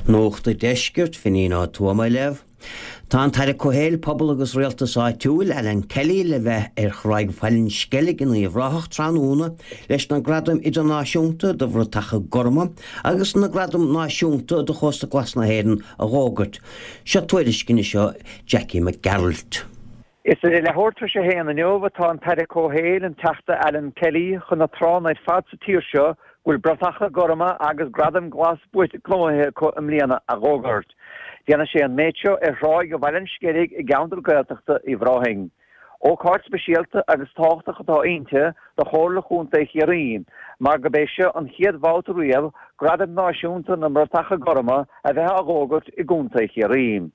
Nuacht an Deiscirt, Finín Ó Tuama á léamh. Tá an tAire Comhshaoil, Pobal agus Rialtais Áitiúil, Alan Kelly, le bheith ar Thráigh Bhaile an Sceilg in Uíbh Ráthach tráthnóna leis na Gradaim Idirnáisiúnta do Bhratacha Gorma agus na Gradaim Náisiúnta do Chósta Glas na hÉireann a dh'fhógairt. Seo tuairisc anois ó Jackie Mac Gearailt. Is ar a leathuair tar éis a haon inniu atá an tAire Comhshaoil, an Teachta Alan Kelly, chun na tránna ar fad sa tír seo go bhfuil bratacha gorma agus gradaim glas buaite gnóthaithe acu i mbliana a dh'fhógairt. Déanfaidh sé an méid seo ar thráigh Bhaile an Sceilg i gceantar Gaeltachta Uíbh Ráthaigh. Ócáid speisialta agus tábhachtach atá inti do Chomhairle Chontae Chiarraí mar gurb é seo an chéad bhabhta riamh Gradaim Náisiúnta na mBratacha Gorma a bheith á dh'fhógairt i gContae Chiarraí.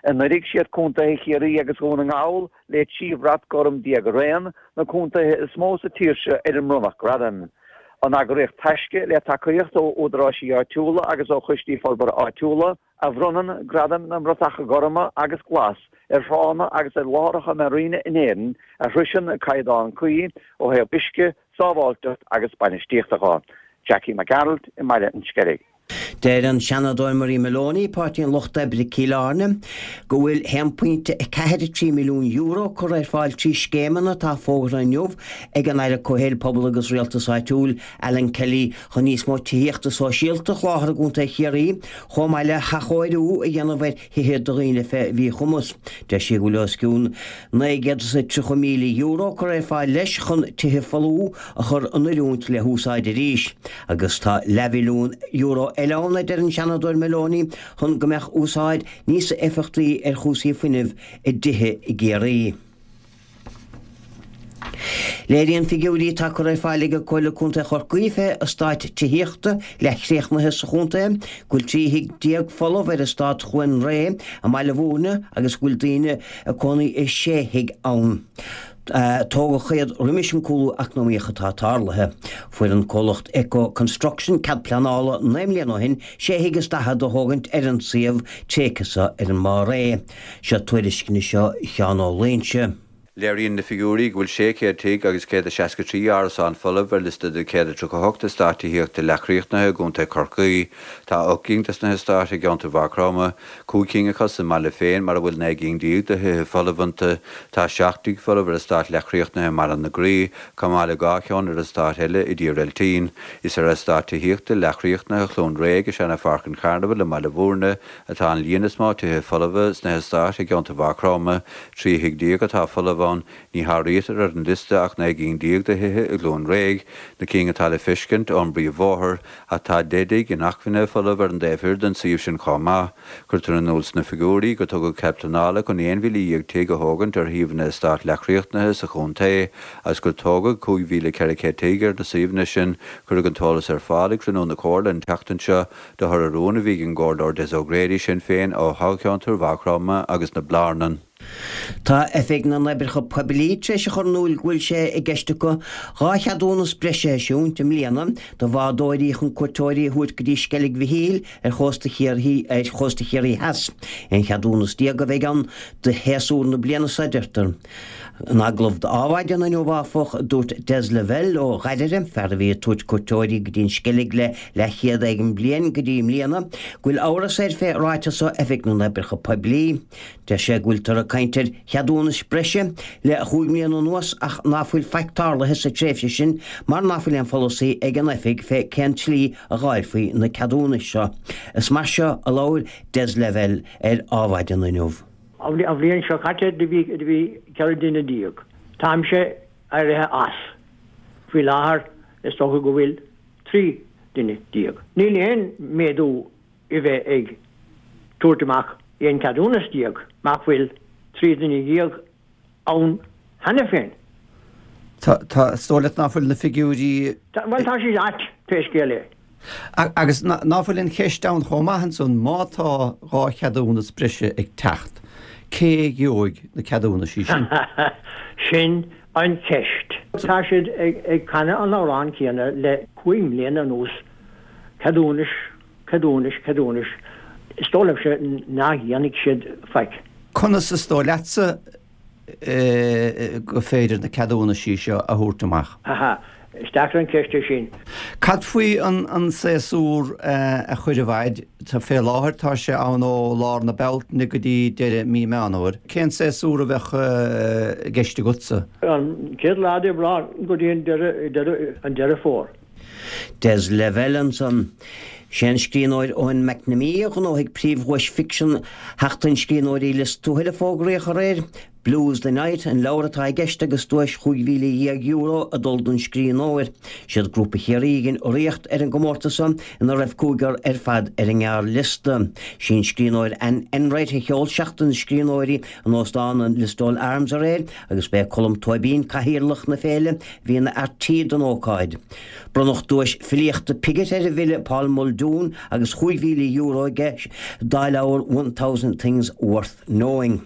Anuraidh siad contaetha Chiarraí agus Dhún na nGall, le 13 bhrat gorm araon, na contaetha is mó sa tír seo ar a mbronnadh gradaim. An eagraíocht Taisce, le tacaíocht ó údaráisí áitiúla agus ó choistí forbartha áitiúla, a bhronnann Gradaim na mBratacha Gorma agus Glas ar thránna agus ar láithreacha marina in Éirinn a shroiseann na caighdeáin cuí ó thaobh uisce, sábháilteacht agus bainistíochta de. Jackie Mac Gearailt i mBaile an Sceilg. Deir an Seanadóir Marie Moloney, Páirtí an Lucht Oibre, Cill Airne, go bhfuil €1.43 milliún curtha ar fáil trí scéimeanna atá fógartha inniu ag an Aire Comhshaoil, Pobal agus Rialtais Áitiúil, Alan Kelly, chun níos mó tithíochta sóisialta a sholáthar i gContae Chiarraí, chomh maith le hathchóiriú a dhéanamh ar thithe do dhaoine fé mhíchumas. Deir sí go bhfuil os cionn €930,000 curtha ar fáil leis chun tithe folmha a chur in oiriúint le húsáid arís. Agus tá leathmhilliún euro eile ann, a deir an Seanadóir Moloney, chun go mbeadh úsáid níos éifeachtaí ar chúrsaí fuinnimh i dtithe i gCiarraí. Léiríonn figiúirí atá curtha ar fáil ag Comhairle Contae Chorcaí fé eastáit tithíochta leathchríochnaithe sa chontae go bhfuil 13 thigh folamh ar eastát Chluain Ré i mBaile Bhúirne agus go bhfuil daoine ag cónaí i sé thigh ann. Tógadh iad roimis an cúlú eacnamaíoch atá tarlaithe. Fuair an comhlacht Eco Construction cead pleanála 9 mbliana ó shin sé thigh is daichead a thógaint ar an suíomh tréigthe seo ar an mBarr Réidh. Seo tuairisc anois ó Sheán Ó Loingsigh. Léiríonn na figiúirí go bhfuil 600 tigh agus 163 árasán folamh ar liosta de 138 eastát tithíochta leathchríochnaithe i gContae Chorcaí. Tá 8 gcinn des na heastáit i gceantar Mhaigh Chromtha, 5 cinn acu sa mbaile féin mar a bhfuil 19 gcinn de thithe folamh iontu. Tá 7 dtigh folamh ar eastát leathchríochnaithe i mBaile na Graí, chomh maith le 2 cheann ar eastát eile i dTír Eiltín. Is ar eastát tithíochta leathchríochnaithe Chluain Réidh i Seana-Pháirc an Charnabhail i mBaile Bhúirne, atá an líon is mó tithe folmha sna heastáit i gceantar Mhaigh Chromtha, 13 thigh atá folamh ann, ní háirítear ar an liosta ach 19 gcinn de thithe i gCluain Réidh, na cinn atá le feiscint ón bpríomhbhóthar, ach tá 10 dtigh inacmhainne folamh ar an dtaobh thoir den suíomh sin chomh maith. Cuirtear in iúl sna figiúirí gur tugadh cead pleanála chun 11,000 tigh a thógaint ar shuíomhanna eastát leathchríochnaithe sa chontae agus gur tógadh 5,400 tigh ar na suíomhanna sin. Cuireadh an t-eolas ar fáil ag cruinniú na Comhairle an tseachtain seo. De thoradh rún a bhí ag an gComhairleoir Des O'Grady, Sinn Féin, ó thoghcheantar Mhaigh Chromtha agus na Blarnan. Tá Oifig na nOibreacha Poiblí tar éis a chur in iúl go bhfuil sé i gceist acu 2 cheadúnas breise a eisiúint i mbliana do bhádóirí chun cuairteoirí a thabhairt go dtí Sceilg Mhichíl ar chósta Chiarraí ar chósta Chiarraí Theas. 11 cheadúnas a bheidh ann do shéasúr na bliana seo, a deirtear. In agallamh d'Adhmhaidin inniu, áfach, dúirt Des Lavelle ó Ghairire, fear a bhí ag tabhairt cuairteoirí go dtí an Sceilg le leathchéad éigin bliain go dtí i mbliana, go bhfuil amhras air fé ráiteas ó Oifig na nOibreacha Poiblí. Deir sé go bhfuiltear ag caint ar cheadúnais breise le chúig mbliana anuas ach ná fuil faic tarlaithe sa tréimhse sin mar ná fuil aon pholasaí ag an Oifig fé cén tslí a dháilfí na ceadúnais seo. Is mar seo a labhair Des Lavelle ar Adhmhaidin inniu. An bhliain seo caite do bhí 14 duine. Táimse éirithe as. Faoi láthair is dócha go bhfuil 13 duine. Níl aon méadú i bheith ag tabhairt amach 11 ceadúnas mach bhfuil 13 duine ann cheana féin. Tá, tá, is dóigh leat ná fuil na figiúirí. Bhuel, tá siad ait, pé scéal é. Agus ná fuil an cheist ann chomh maith ansan, má tá 2 cheadúnas breise ag teacht, cé gheobhaidh na ceadúnaisí sin? Sin an cheist. Tá siad ag canadh an amhrán céanna le cúig mbliana anuas, ceadúnais, ceadúnais, ceadúnais. Is dóigh liomsa nach dhéanfaidh siad faic. Conas is dóigh leatsa gur féidir na ceadúnaisí seo a thabhairt amach? Aha. Is deacair an ceist é sin. Cad faoi an séasúr a chur i bhfaid? Fé láthair tá sé ann ó lár na Bealtaine go dtí deireadh mí Meán Fhómhair. Cén séasúr a bheadh i gceist agatsa? An chéad lá d'Aibreán go dtí an deireadh, an Deireadh Fómhair. Des Lavelle ansan. Sé an scríbhneoir Eoin McNamee a ghnóthaigh príomhdhuais ficsean Sheachtain Scríbhneoirí Lios Tuathail a fógraíodh aréir. Blues the Night an leabhar atá i gceist agus duais €15,000 ag dul don scríbhneoir. Siad Grúpa Chiarraí a dhein urraíocht ar an gcomórtas seo ina raibh cúigear ar fad ar an ngearrliosta. Sí an scríbhneoir Anne Enright a sheol Seachtain na Scríbhneoirí in Óstán an Listowel Arms aréir agus b'é Colm Tóibín, cathaoirleach na féile, a bhí ina fhear tí don ócáid. Bronnadh duais filíochta Piggott ar an bhfile Paul Muldoon agus €5,000 aige dá leabhar 1000 Things Worth Knowing.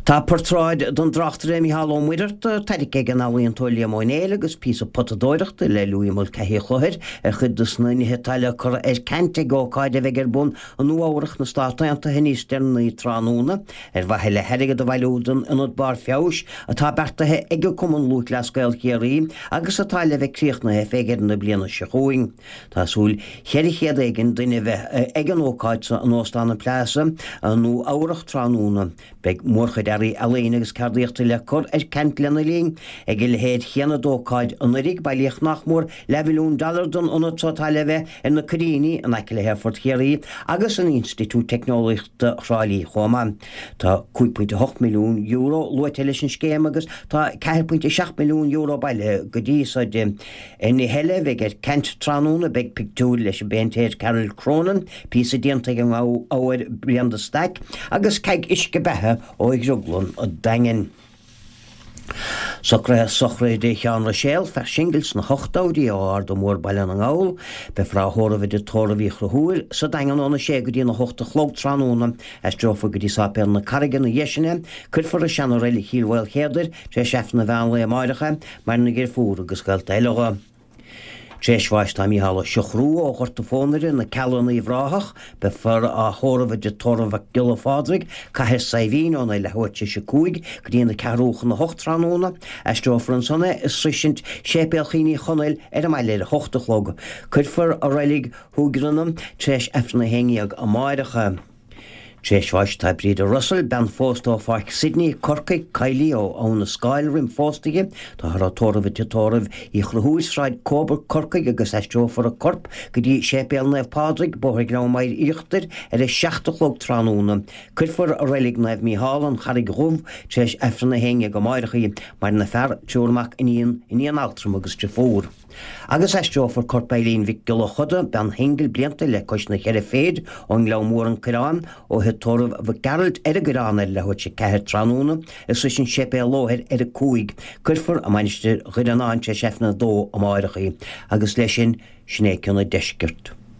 Tá portráid den dtráchtaire Mícheál Ó Muircheartaigh tairgthe ag an ealaíontóir Liam Ó Néill agus píosa potadóireachta le Louis Mulcahy Chlochair ar chuid de na nithe atá le cur ar ceant ag ócáid a bheidh ar bun i Nua Eabhrach na Stát Aontaithe níos deireanaí tráthnóna ar mhaithe le hairgead a bhailiú don Ionad Barr Feabhais atá beartaithe ag Cumann Lúthchleas Gael Chiarraí agus atá le bheith críochnaithe fé dheireadh na bliana seo chugainn. Tá súil 400 éigin duine a bheith ag an ócáid so in Óstán an Plaza i Nua Eabhrach tráthnóna. Beidh mórchuid earraí ealaíne agus ceardaíochta le cur ar ceant lena linn. Ag a leithéid chéanna d'ócáid anuraidh, bailíodh nach mór leathmhilliún dollar don ionad so atá le bheith ar na Coiríní in aice le hAerfort Chiarraí agus an Institiúid Teicneolaíochta Thrá Lí chomh maith. Tá €5.8 milliún luaite leis an scéim agus tá €4.7 milliún bailithe go dtí so di. Ar nithe eile a bheidh ar ceant tráthnóna beidh pictiúir leis an bpéintéir Carol Cronin, píosa déanta ag an ngabhair Brian de Staic agus ceaig uisce beatha ó Dhrioglann an Daingin. Socruithe Sochraide Sheáin Ruiséal, fear singil sna hochtóidí ó Arda Mór Baile na nGall. Beifear á thórramh i dtigh tórraimh Uí Chonchúir sa Daingean óna sé go dtí na hocht a chlog tráthnóna. Aistreofar go dtí Sáipéal na Carraige ina dhiaidh sin é. Cuirfear i seana-reilig Chill Mhaoilchéadair tar éis Aifreann an mheán lae amáireach é. Maireann a dheirfiúr agus gaolta eile dho. Tar éis bháis tá Mícheál Ó Siochrú ó Ghort a' Phónaire, Na Cealla in Uíbh Ráthach. Beifear á thórramh i dtigh tórraimh Mhac Giolla Phádraig, Cathair Saidhbhín, óna leathuair tar éis a 5 go dtí na ceathrú chun a hocht tráthnóna. Aistreofar ansan é i sroisint Séipéal Chian Uí Chonaill ar an mbaile ar a hocht a chlog. Cuirfear i reilig Thuaigranna tar éis Aifreann a haon dhéag amáireach é. Tar éis bháis tá Breda Russell, bean phósta ó Pháirc Sydney, Corcaigh, Kylie ó Abha na Scáil roim phósta di. Táthar á tórramh i dtigh tórraimh Uí Chonchúir, Sráid Coburg, Corcaigh agus aistreofar a corp go dtí Séipéal Naomh Pádraig, Bóthar Ghleann Maghair Íochtair ar a 7 a chlog tráthnóna. Cuirfear i Reilig Naomh Mícheál, An Charraig Dhubh, tar éis Aifreann a haon dhéag amáireach í. Maireann a fear, triúr mac, iníon, iníon altrama agus driofúr. Agus aistreofar corp Eileen Mhic Giolla Chuda, bean shingil blianta le cois na cheithre phéid, ón nGleann Mór An Coireán, ó thigh tórraimh Mhic Gearailt ar an gCoireán ar leathuair tar éis a ceathair tráthnóna, i sroisint Séipéal Lóthair ar a cúig. Cuirfear i Mainistir Dhoire an Fháin tar éis Aifreann a dó amáireach í. Agus leis sin, sin é cionn an deiscirt.